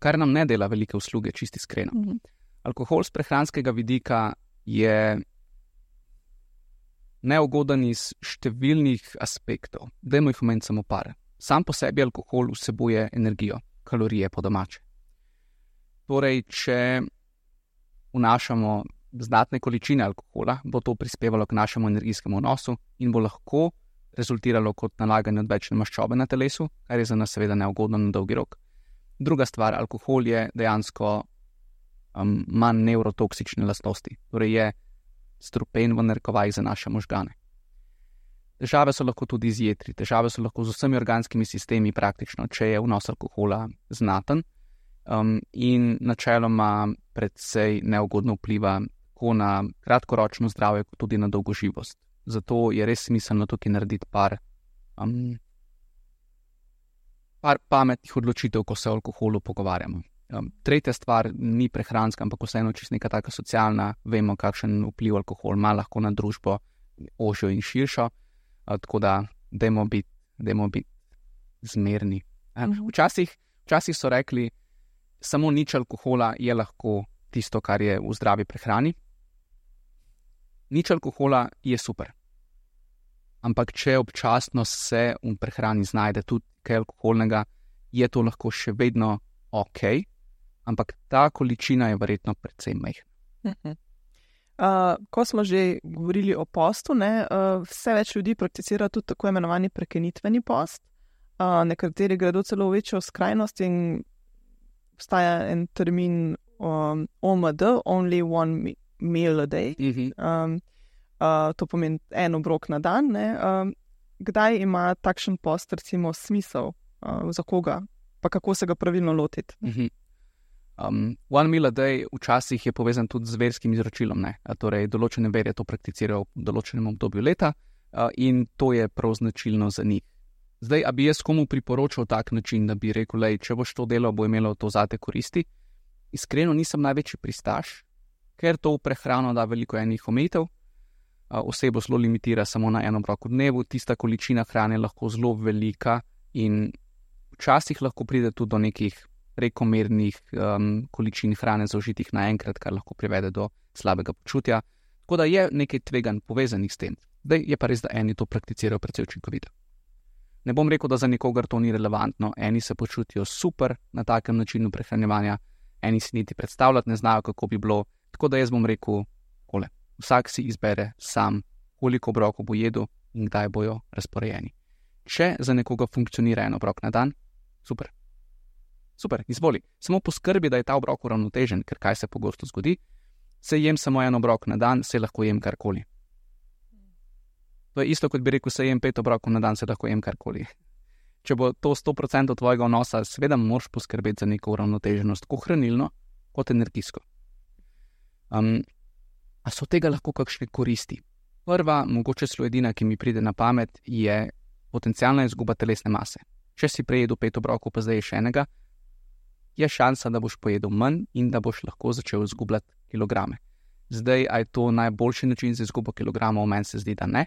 kar nam ne dela velike usluge, čisti iskreno. Mm-hmm. Alkohol z prehranskega vidika je neugoden iz številnih aspektov. Dajmo jih omeniti samo par. Sam po sebi alkohol vsebuje energijo, kalorije po domače. Torej, če vnašamo znatne količine alkohola, bo to prispevalo k našemu energijskemu vnosu in bo lahko rezultiralo kot nalaganje odvečne maščobe na telesu, kar je za nas seveda neugodno na dolgi rok. Druga stvar, alkohol je dejansko um, manj nevrotoksične lastnosti, torej je strupen v narekovajih za naše možgane. Težave so lahko tudi z jetri, težave so lahko z vsemi organskimi sistemi praktično, če je vnos alkohola znaten um, in načeloma predvsej neugodno vpliva tako na kratkoročno zdravje, kot tudi na dolgoživost. Zato je res smiselno tukaj narediti par, um, par pametnih odločitev, ko se o alkoholu pogovarjamo. Um, tretja stvar ni prehranska, ampak vseeno čisto neka taka socialna, vemo, kakšen vpliv alkohol ima lahko na družbo ožjo in širšo, uh, tako da dajmo biti, dajmo biti zmerni. Um, mhm. včasih, včasih so rekli, samo nič alkohola je lahko tisto, kar je v zdravi prehrani. Nič alkohola je super. Ampak če občasno se v prehrani znajde tudi kaj alkoholnega, je to lahko še vedno ok, ampak ta količina je verjetno precej majhna.
Uh-huh. Uh, ko smo že govorili o postu, ne, uh, vse več ljudi prakticira tudi tako imenovani prekinitveni post. Uh, nekateri gredo celo v večjo skrajnost in obstaja en termin um, O M D, only one meal a day. Uh-huh. um, uh, to pomeni en obrok na dan. Ne? Um, kdaj ima takšen post recimo smisel, uh, za koga, pa kako se ga pravilno lotiti?
Uh-huh. um, one meal a day včasih je povezan tudi z verskim izročilom. Ne? Torej, določene verje to prakticirajo v določenem obdobju leta uh, in to je prav značilno za njih. Zdaj, a bi jaz komu priporočal tak način, da bi rekel, lej, če boš to delal, bo imelo to zate koristi? Iskreno nisem največji pristaš, ker to v prehrano da veliko enih omejitev. Osebo zelo limitira samo na en obrok v dnevu, tista količina hrane je lahko zelo velika in včasih lahko pride tudi do nekih prekomernih um, količin hrane zaužitih naenkrat, kar lahko privede do slabega počutja. Tako da je nekaj tveganj povezanih s tem. Zdaj je pa res, da eni to prakticirajo precej učinkovito. Ne bom rekel, da za nikogar to ni relevantno. Eni se počutijo super na takem načinu prehranjevanja, eni si niti predstavljati ne znajo, kako bi bilo. Tako da jaz bom rekel, kole, vsak si izbere sam, koliko obrokov bo jedel in kdaj bojo razporejeni. Če za nekoga funkcionira en obrok na dan, super. Super, izvoli. Samo poskrbi, da je ta obrok uravnotežen, ker kaj se pogosto zgodi, se jem samo en obrok na dan, se lahko jem karkoli. To je isto, kot bi rekel, se jem pet obrokov na dan, se lahko jem karkoli. Če bo to sto procentov tvojega vnosa, seveda moraš poskrbeti za neko uravnoteženost, tako hranilno, kot energijsko. Um, a so tega lahko kakšne koristi? Prva, mogoče celo edina, ki mi pride na pamet, je potencialna izguba telesne mase. Če si prejedel pet obrokov, pa zdaj še enega, je šansa, da boš pojedel manj in da boš lahko začel izgubljati kilograme. Zdaj, a je to najboljši način za izgubo kilogramov? Meni se zdi, da ne.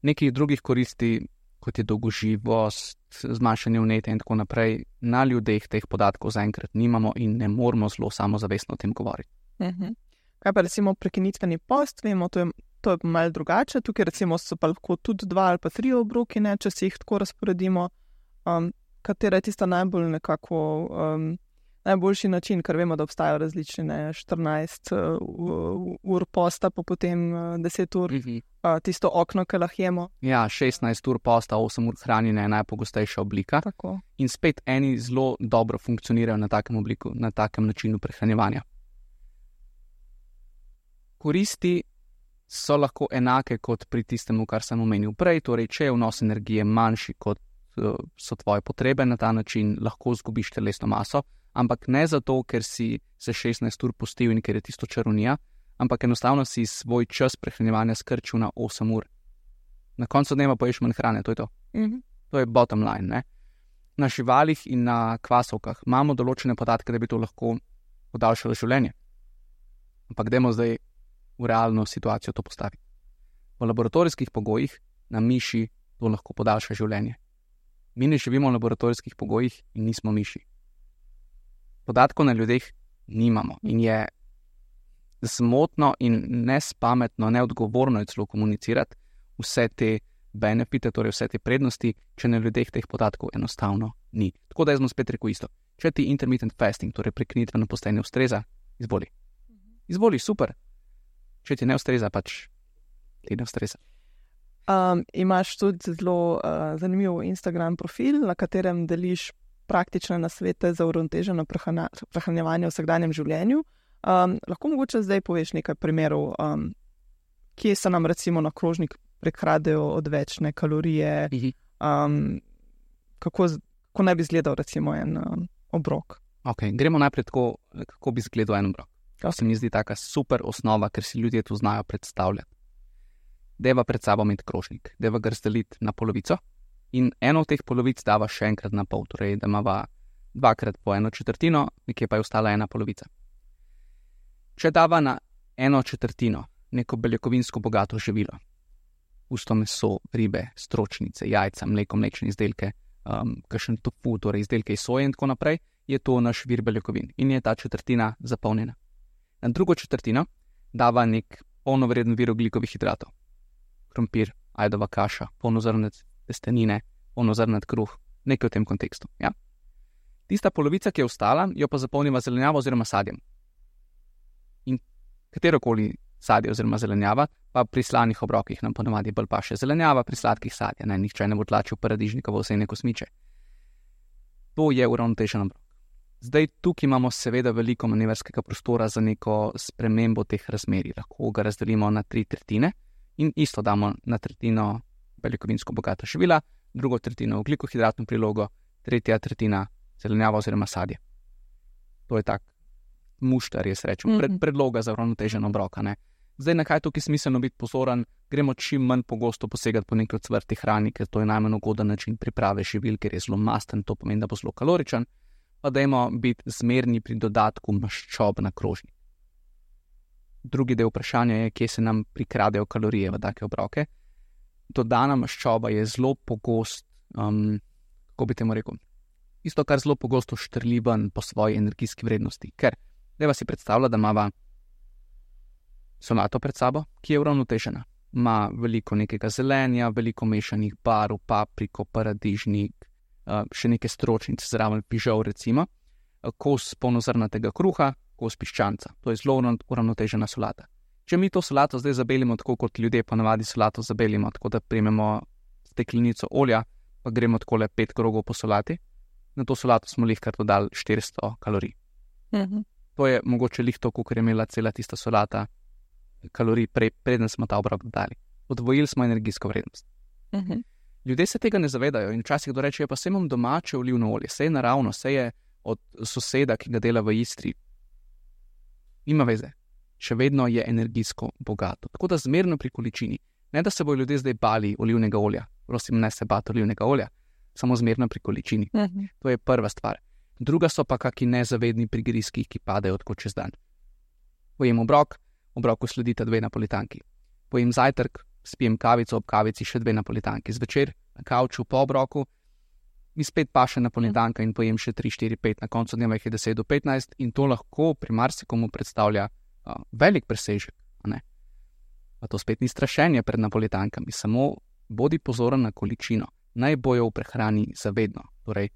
Nekih drugih koristi, kot je dolgoživost, zmanjšanje vnetja in tako naprej, na ljudeh teh podatkov zaenkrat nimamo in ne moramo zelo samozavestno o tem govoriti.
Uh-huh. Kaj pa recimo prekinitveni post, vemo, to je, to je malo drugače, tukaj recimo so pa lahko tudi dva ali pa tri obroki, ne, če si jih tako razporedimo, um, katera je tista najbolj nekako um, najboljši način, ker vemo, da obstajajo različne ne, štirinajst uh, ur posta, pa potem uh, deset ur, uh-huh. uh, tisto okno, ki lahjemo.
Ja, šestnajst ur posta, osem ur hranjenja je najpogostejša oblika.
Tako.
In spet eni zelo dobro funkcionirajo na takem obliku, na takem načinu prehranjevanja. Koristi so lahko enake kot pri tistemu, kar sem omenil prej, torej če je vnos energije manjši kot uh, so tvoje potrebe, na ta način lahko zgubiš telesno maso, ampak ne zato, ker si se šestnajst ur postil in ker je tisto čarovnija, ampak enostavno si svoj čas prehranjevanja skrčil na osem ur. Na koncu dneva poješ manj hrane, to je to.
Mm-hmm.
To je bottom line, ne? Na živalih in na kvasovkah imamo določene podatke, da bi to lahko podaljšalo življenje. Ampak dajmo zdaj v realno situacijo to postaviti. V laboratorijskih pogojih na miši to lahko podaljša življenje. Mi ne živimo v laboratorijskih pogojih in nismo miši. Podatkov na ljudeh nimamo in je zmotno in nespametno, neodgovorno je celo komunicirati vse te benefite, torej vse te prednosti, če na ljudeh teh podatkov enostavno ni. Tako da jaz bom spet rekel isto. Če ti intermittent fasting, torej prekinitveno postaje ne ustreza, izvoli. Izvoli, super. Če ti ne ustreza, pač ti ne ustreza.
Um, imaš tudi zelo uh, zanimiv Instagram profil, na katerem deliš praktične nasvete za uravnoteženo prehranjevanje v vsakdanjem življenju. Um, lahko mogoče zdaj poveš nekaj primerov, um, kje se nam recimo na krožnik prekradejo odvečne kalorije, um, kako, kako naj bi izgledal recimo en um, obrok.
Ok, gremo najprej tako, kako bi izgledal en obrok. To se mi zdi taka super osnova, ker si ljudje to znajo predstavljati. Deva pred sabo imeti krožnik, deva ga razdeliti na polovico in eno od teh polovic dava še enkrat na pol, torej da imava dvakrat po eno četrtino, nekje pa je ostala ena polovica. Če dava na eno četrtino neko beljakovinsko bogato živilo, pusto meso, ribe, stročnice, jajca, mleko, mlečne izdelke, um, kakšen tofu, torej izdelke iz soje in tako naprej, je to naš vir beljakovin in je ta četrtina zapolnjena. Na drugo četrtino dava nek polnovreden vir ogljikovih hidratov. Krompir, ajdova kaša, polnozrnat testenine, polnozrnat kruh, nekaj v tem kontekstu. Ja? Tista polovica, ki je ostala, jo pa zapolniva zelenjavo oziroma sadjem. In katerokoli sadje oziroma zelenjava, pa pri slanih obrokih nam ponavadi bolj paše zelenjava, pri sladkih sadja, ne, nihče ne bo tlačil paradižnika v vse neko smiče. To je uravnotežen obrok. Zdaj, tukaj imamo seveda veliko manevrskega prostora za neko spremembo teh razmerij. Lahko ga razdelimo na tri tretjine in isto damo na tretjino beljakovinsko bogata živila, drugo tretjino ogljikohidratno prilogo, tretja tretjina zelenjava oziroma sadje. To je tak muštar, jaz rečem, pred, predloga za uravnotežen obrok. Zdaj, na kaj tukaj smiselno biti pozoren, gremo čim manj pogosto posegati po neki ocvrti hrani, ker to je najmanj ugoden način priprave živil, ker je zelo masten, to pomeni, da bo zelo kaloričen. Pa dajmo biti zmerni pri dodatku maščob na krožnik. Drugi del vprašanja je, kje se nam prikradejo kalorije v take obroke. Dodana maščoba je zelo pogost, um, kako bi temu rekel, isto kar zelo pogosto štrliven po svoji energijski vrednosti. Ker, dajva si predstavlja, da imava solato pred sabo, ki je uravnotežena. Ima veliko nekega zelenja, veliko mešanih barv, papriko, paradižnik, Uh, še neke stročnice zraven pižol recimo, uh, kos polnozrnatega kruha, kos piščanca. To je zelo uravnotežena solata. Če mi to solato zdaj zabelimo tako, kot ljudje ponavadi solato zabelimo, tako da primemo steklenico olja, pa gremo tako le pet krogov po solati, na to solato smo lihkar dodali štiristo kalorij.
Mm-hmm.
To je mogoče lih to, koliko je imela cela tista solata kalorij, pre, preden smo ta obrok dodali. Odvojili smo energijsko vrednost.
Mm-hmm.
Ljudje se tega ne zavedajo in včasih dorečejo, pa saj imam domače olivno olje, saj je naravno, saj je od soseda, ki ga dela v Istri. Nima veze, še vedno je energijsko bogato. Tako da zmerno pri količini. Ne, da se bojo ljudje zdaj bali olivnega olja, prosim, ne se bati olivnega olja, samo zmerno pri količini.
Mhm.
To je prva stvar. Druga so pa kaki nezavedni prigrizki, ki padejo tako čez dan. Pojem obrok, obroku sledita dve napolitanki. Pojem zajtrk, spijem kavico, ob kavici še dve napolitanki. Zvečer na kavču po obroku, mi spet paše napolitanka in pojem še tri, štiri, pet, na koncu dneva jih je deset do petnajst in to lahko pri marsikomu predstavlja uh, velik presežek. Pa to spet ni strašenje pred napolitankami, samo bodi pozoren na količino. Naj bojo v prehrani zavedno, torej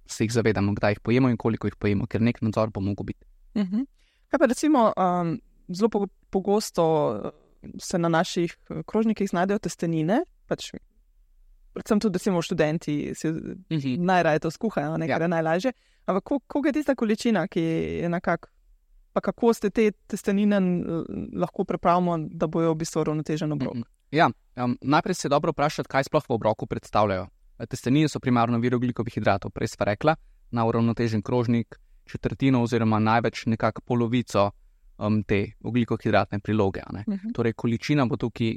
se jih zavedamo, kdaj jih pojemo in koliko jih pojemo, ker nek nadzor bo mogel biti.
Uh-huh. Kaj pa recimo, um, zelo pogosto se na naših krožnikih znajdejo testenine, pač predvsem tudi recimo študenti si uh-huh. najraje to skuhajo, nekaj ja. je najlažje, ampak koliko je tista količina, ki je nekako, pa kako ste te testenine lahko pripravimo, da bojo v bistvu ravnotežen obrok? Uh-huh.
Ja, um, najprej se je dobro vprašati, kaj sploh v obroku predstavljajo. Testenine so primarno vir ogljikovih hidratov, prej sva rekla, na uravnotežen krožnik, četrtino oziroma največ nekako polovico um, te ogljikovhidratne priloge. Uh-huh. Torej, količina bo tukaj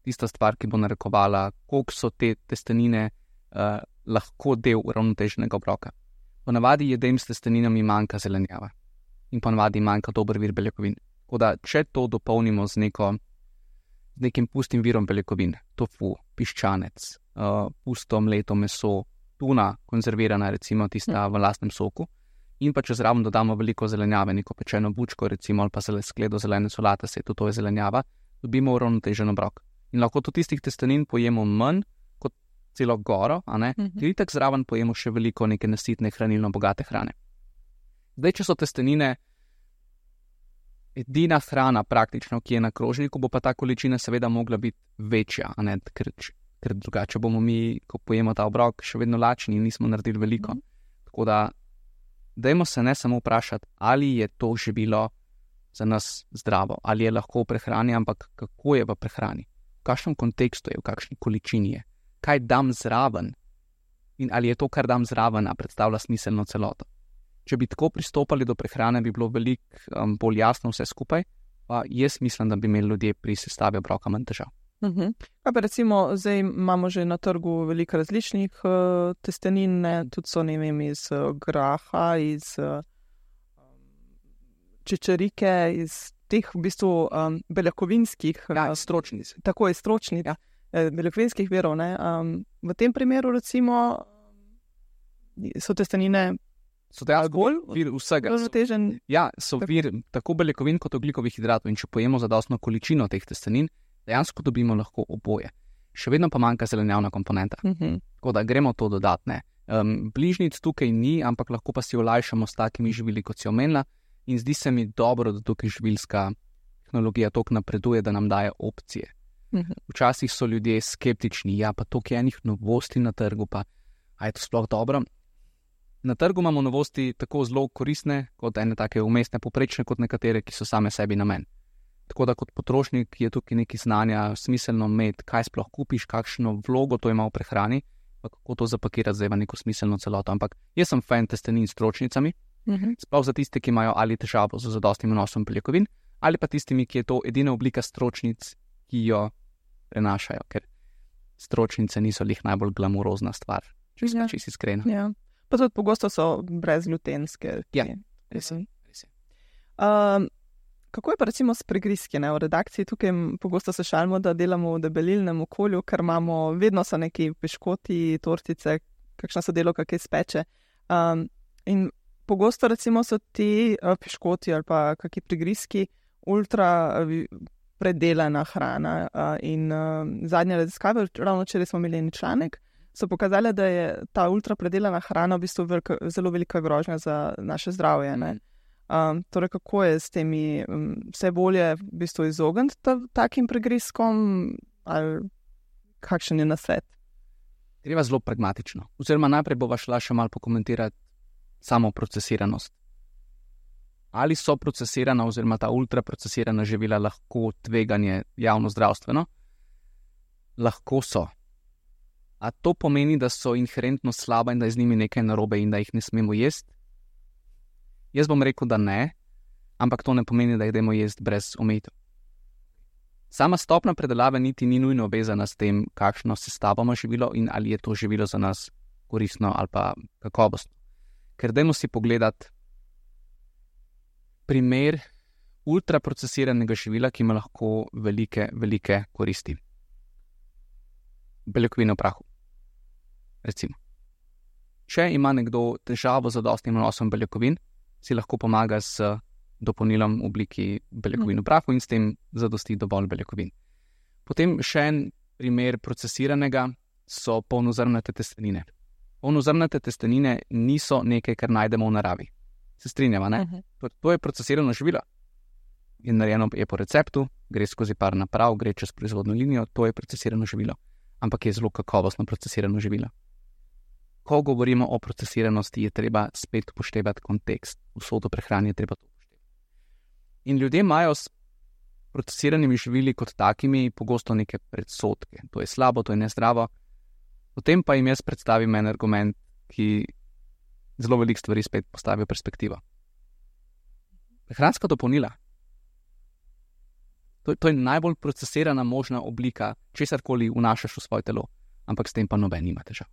tista stvar, ki bo narekovala, koliko so te testenine uh, lahko del uravnoteženega obroka. Ponavadi jedem s testeninami manjka zelenjava in ponavadi manjka dober vir beljakovin. Tako da, če to dopolnimo z neko z nekim pustim virom beljakovin, tofu, piščanec, uh, pusto mleto meso, tuna, konzervirana, recimo tista v lastnem soku, in pa če zraven dodamo veliko zelenjave, neko pečeno bučko, recimo, ali pa skledo zelene solate, se to je zelenjava, dobimo uravnotežen obrok. In lahko tudi tistih testenin pojemo manj kot celo goro, a ne? Mm-hmm. Ker itak zraven pojemo še veliko neke nasitne, hranilno bogate hrane. Zdaj, če so testenine edina hrana praktično, ki je na krožniku, bo pa ta količina seveda mogla biti večja, a ne, ker, ker drugače bomo mi, ko pojemo ta obrok, še vedno lačni in nismo naredili veliko. Mm. Tako da, dajmo se ne samo vprašati, ali je to živilo za nas zdravo, ali je lahko v prehrani, ampak kako je v prehrani, v kakšnem kontekstu je, v kakšni količini je, kaj dam zraven in ali je to, kar dam zraven, a predstavlja smiselno celoto. Če bi tako pristopali do prehrane, bi bilo veliko um, bolj jasno vse skupaj, pa jaz mislim, da bi imeli ljudje pri sestavi obroka manj težav.
Uh-huh. Pa recimo, zdaj imamo že na trgu veliko različnih uh, testenin, ne? Tudi so, ne vem, iz uh, graha, iz uh, čičerike, iz teh v bistvu um, beljakovinskih
ja, stročnic.
Tako je stročnic, ja. beljakovinskih virov. Ne? Um, v tem primeru recimo so testenine
So dejansko vir vsega.
So,
ja, so vir tako beljakovin kot ogljikovih hidratov in če pojemo zadostno količino teh testenin, dejansko dobimo lahko oboje. Še vedno pa manjka zelenjavna komponenta. Uh-huh. Tako da gremo to dodatne. Um, bližnjic tukaj ni, ampak lahko pa si olajšamo s takimi živili, kot si omenila, in zdi se mi dobro, da tukaj živilska tehnologija toliko napreduje, da nam daje opcije. Uh-huh. Včasih so ljudje skeptični, ja, pa toliko enih novosti na trgu, pa a je to sploh dobro? Na trgu imamo novosti tako zelo koristne, kot ene take umestne, poprečne, kot nekatere, ki so same sebi namen. Tako da kot potrošnik je tukaj nekaj znanja smiselno imeti, kaj sploh kupiš, kakšno vlogo to ima v prehrani, pa kako to zapakirati zdaj v neko smiselno celoto. Ampak jaz sem fan testenin s stročnicami, uh-huh. sploh za tiste, ki imajo ali težavo z zadostnim vnosom beljakovin, ali pa tistimi, ki je to edina oblika stročnic, ki jo prenašajo, ker stročnice niso lih najbolj glamurozna stvar, če ja. si iskrena.
Ja. Pa tudi pogosto so brezglutenske.
Ja, res je.
Um, kako je pa recimo s prigrizki? Ne? V redakciji tukaj pogosto se šalimo, da delamo v debelilnem okolju, ker imamo, vedno so neki piškoti, tortice, kakšna so delo, kakaj speče. Um, in pogosto recimo so ti uh, piškoti ali pa kakšni prigrizki ultra uh, predelana hrana. Uh, in uh, zadnje raziskave, ravno včeraj smo imeli en članek, so pokazali, da je ta ultrapredelana hrana v bistvu velika, zelo velika grožnja za naše zdravje. Ne? Um, torej, kako je s temi um, vse bolje v bistvu izogniti ta, takim pregrizkom ali kakšen je nasvet?
Treba zelo pragmatično. Oziroma najprej bova šla še malo pokomentirati samo procesiranost. Ali so procesirana oziroma ta ultraprocesirana živila lahko tveganje javno zdravstveno? Lahko so. A to pomeni, da so inherentno slaba in da je z njimi nekaj narobe in da jih ne smemo jesti? Jaz bom rekel, da ne, ampak to ne pomeni, da jih dajmo jesti brez omejitev. Sama stopna predelave niti ni nujno vezana s tem, kakšno sestavo ima živilo in ali je to živilo za nas koristno ali pa kakovostno. Ker dajmo si pogledati primer ultraprocesiranega živila, ki ima lahko velike, velike koristi. beljakovine v prahu. Recimo. Če ima nekdo težavo z zadostnim vnosom beljakovin, si lahko pomaga z dopolnilom v obliki beljakovin v prahu in s tem zadosti dovolj beljakovin. Potem še en primer procesiranega so polnozrnate testenine. Polnozrnate testenine niso nekaj, kar najdemo v naravi. Se strinjava, ne? Uh-huh. To, to je procesirano živilo. In narejeno je po receptu, gre skozi par naprav, gre čez proizvodno linijo, to je procesirano živilo. Ampak je zelo kakovostno procesirano živilo. Ko govorimo o procesiranosti, je treba spet upoštevati kontekst. Vsoto prehrane je treba to upoštevati. In ljudje imajo s procesiranimi živili kot takimi pogosto neke predsodke. To je slabo, to je nezdravo. Potem pa jim jaz predstavim en argument, ki zelo veliko stvari spet postavi v perspektivo. Prehranska dopolnila. To, to je najbolj procesirana možna oblika, česarkoli vnašaš v svoje telo, ampak s tem pa noben nima težav.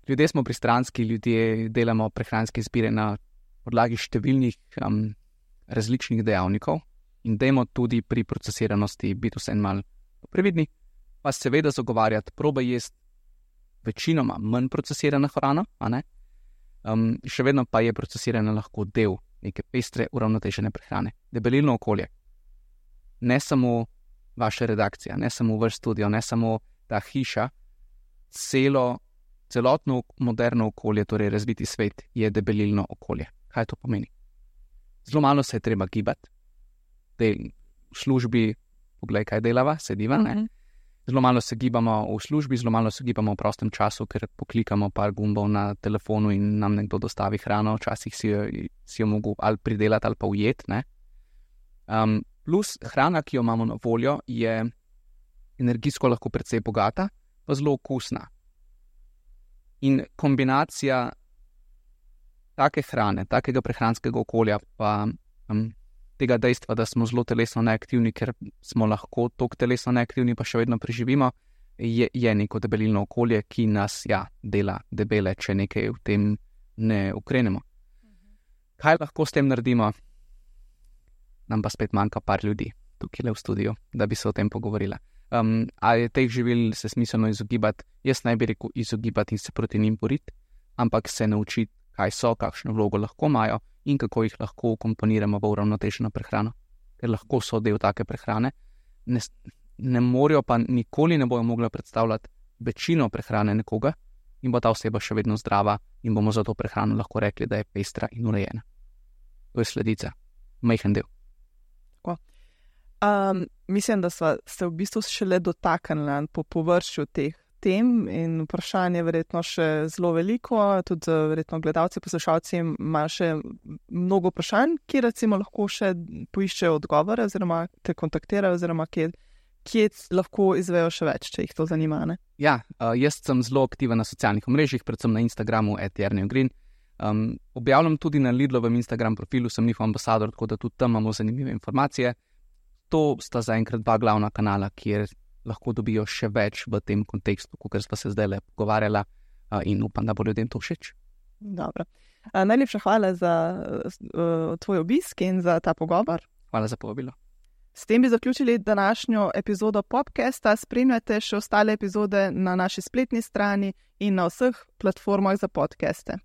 Ljudje smo pristranski, ljudje delamo prehranske izbire na podlagi številnih um, različnih dejavnikov in dajmo tudi pri procesiranosti biti vse en mal previdni, pa seveda zagovarjati, probaj jesti večinoma manj procesirana hrana, a ne? Um, še vedno pa je procesirana lahko del neke pestre, uravnotežene prehrane. Debelilno okolje. Ne samo vaša redakcija, ne samo vaš studio, ne samo ta hiša, celo Celotno moderno okolje, torej razviti svet, je debelilno okolje. Kaj to pomeni? Zelo malo se je treba gibati. Del v službi, poglej, kaj delava, sediva, ne? Uh-huh. Zelo malo se gibamo v službi, zelo malo se gibamo v prostem času, ker poklikamo par gumbov na telefonu in nam nekdo dostavi hrano, včasih si jo, si jo mogo ali pridelati ali pa ujet, ne? Um, plus hrana, ki jo imamo na voljo, je energijsko lahko precej bogata, pa zelo okusna. In kombinacija take hrane, takega prehranskega okolja, pa um, tega dejstva, da smo zelo telesno neaktivni, ker smo lahko toliko telesno neaktivni, pa še vedno preživimo, je, je neko debelilno okolje, ki nas ja, dela debele, če nekaj v tem ne ukrenemo. Mhm. Kaj lahko s tem naredimo? Nam pa spet manjka par ljudi tukaj v studiu, da bi se o tem pogovorila. Um, ali je teh živil se smiselno izogibati? Jaz naj bi rekel izogibati in se proti njim boriti, ampak se naučiti, kaj so, kakšno vlogo lahko imajo in kako jih lahko ukomponiramo v uravnoteženo prehrano, ker lahko so del take prehrane. Ne, ne morajo pa nikoli ne bojo mogli predstavljati večino prehrane nekoga in bo ta oseba še vedno zdrava in bomo za to prehrano lahko rekli, da je pestra in urejena. To je sledica, majhen del.
Um, mislim, da sva se v bistvu šele dotaknili po površju teh tem in vprašanje verjetno še zelo veliko, tudi verjetno gledalci, poslušalci imajo še mnogo vprašanj, ki recimo lahko še poiščejo odgovore oziroma te kontaktirajo oziroma kje, kje lahko izvejo še več, če jih to zanima, ne?
Ja, uh, jaz sem zelo aktiven na socialnih omrežjih, predvsem na Instagramu at Jernej Ogrin. Um, objavljam tudi na Lidlovem Instagram profilu, sem njihov ambasador, tako da tudi tam imamo zanimive informacije. To sta zaenkrat dva glavna kanala, kjer lahko dobijo še več v tem kontekstu, kot sva se zdaj le pogovarjala in upam, da bo ljudem to všeč.
Dobro. Najlepša hvala za uh, tvoj obisk in za ta pogovor.
Hvala za povabilo.
S tem bi zaključili današnjo epizodo Popcasta. Spremljate še ostale epizode na naši spletni strani in na vseh platformah za podcaste.